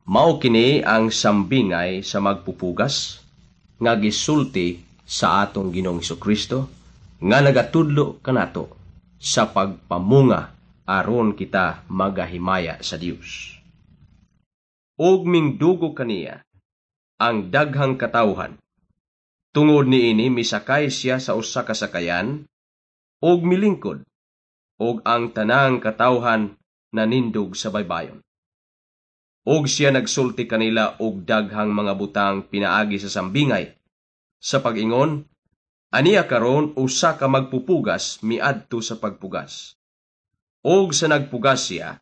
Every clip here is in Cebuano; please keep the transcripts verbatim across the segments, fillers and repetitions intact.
Mao kini ang sambingay sa magpupugas nga gisulti sa atong Ginoong Kristo nga nagatudlo kanato sa pagpamunga aron kita magahimaya sa Dios. Ug mingdugo kaniya ang daghang katawhan. Tungod niini, misakay siya sa usa ka sakayan ug milingkod, ug ang tanang katawhan nanindog sa baybayon. Ug siya nagsulti kanila og daghang mga butang pinaagi sa sambingay. Sa pag-ingon, "Aniya karon, usa ka magpupugas miadto sa pagpugas. Og sa nagpugas siya,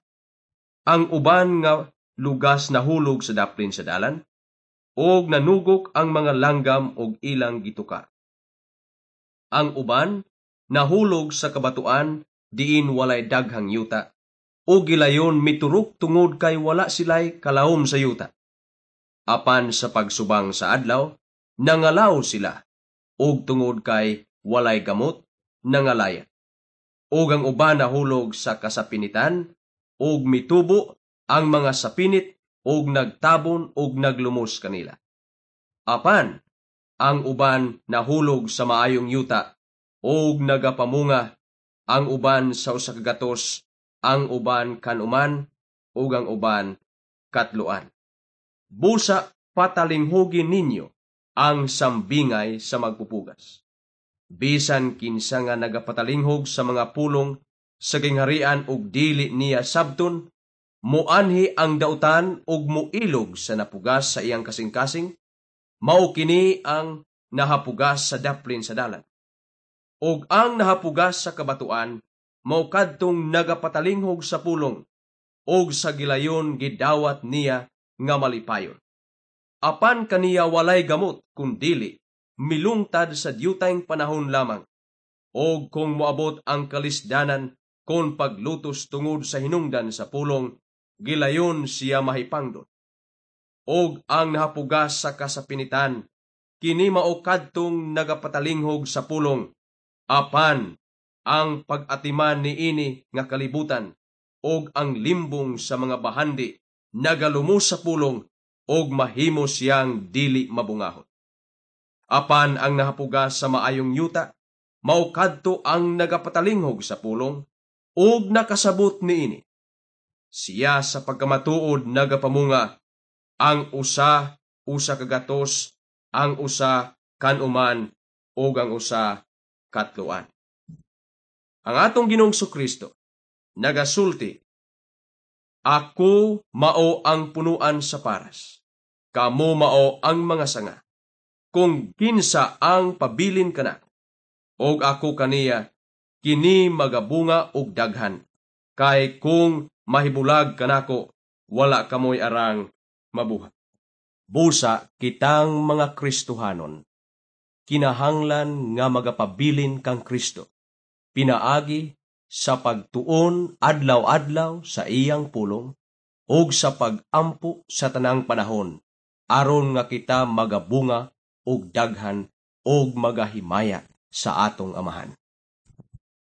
ang uban nga lugas nahulog sa daplin sa dalan, ug nanugok ang mga langgam og ilang gituka. Ang uban nahulog sa kabatuan diin walay daghang yuta, ug gilayon miturok tungod kay wala sila'y kalawom sa yuta. Apan sa pagsubang sa adlaw, nangalaw sila, ug tungod kay walay gamot, nangalaya. Ug ang uban nahulog sa kasapinitan, ug mitubo ang mga sapinit ug nagtabon ug naglumos kanila. Apan ang uban nahulog sa maayong yuta ug nagapamunga, ang uban sa usa ka gatos, ang uban kanuman, ug ang uban katloan." Busa patalinghugi ninyo ang sambingay sa magpupugas. Bisan kinsa nga nagapatalinghog sa mga pulong sa gingharian ug dili niya sabton, muanhi ang dautan ug muilog sa napugas sa iyang kasing-kasing, mao kini ang nahapugas sa daplin sa dalan. Ug ang nahapugas sa kabatuan mao kadtong nagapatalinghog sa pulong ug sa gilayon gidawat niya nga malipayon. Apan kaniya walay gamot kundili milungtad sa diyutayng panahon lamang. Og kung moabot ang kalisdanan kon paglutos tungod sa hinungdan sa pulong, gilayon siya mahipangdon. Og ang nahapugas sa kasapinitan, kini mao kadtong nagapatalinghog sa pulong, apan ang pag-atiman niini nga kalibutan ug ang limbong sa mga bahandi nagalumos sa pulong ug mahimo siyang dili mabungahon. Apan ang nahapugas sa maayong yuta mao kadto ang nagapatalinghog sa pulong ug nakasabot niini. Siya sa pagkamatuod nagapamunga, ang usa usa ka gatos, ang usa kanuman, ug ang usa katloan. Ang atong Ginoong Kristo nagasulti, "Ako mao ang punuan sa paras. Kamo mao ang mga sanga. Kung kinsa ang pabilin kanako, og ako kaniya, kini magabunga og daghan. Kay kung mahibulag kanako, wala kamoy arang mabuhat." Busa kitang mga Kristohanon, kinahanglan nga magapabilin kang Kristo pinaagi sa pagtuon adlaw-adlaw sa iyang pulong ug sa pag-ampo sa tanang panahon aron nga kita magabunga og daghan ug magahimaya sa atong Amahan.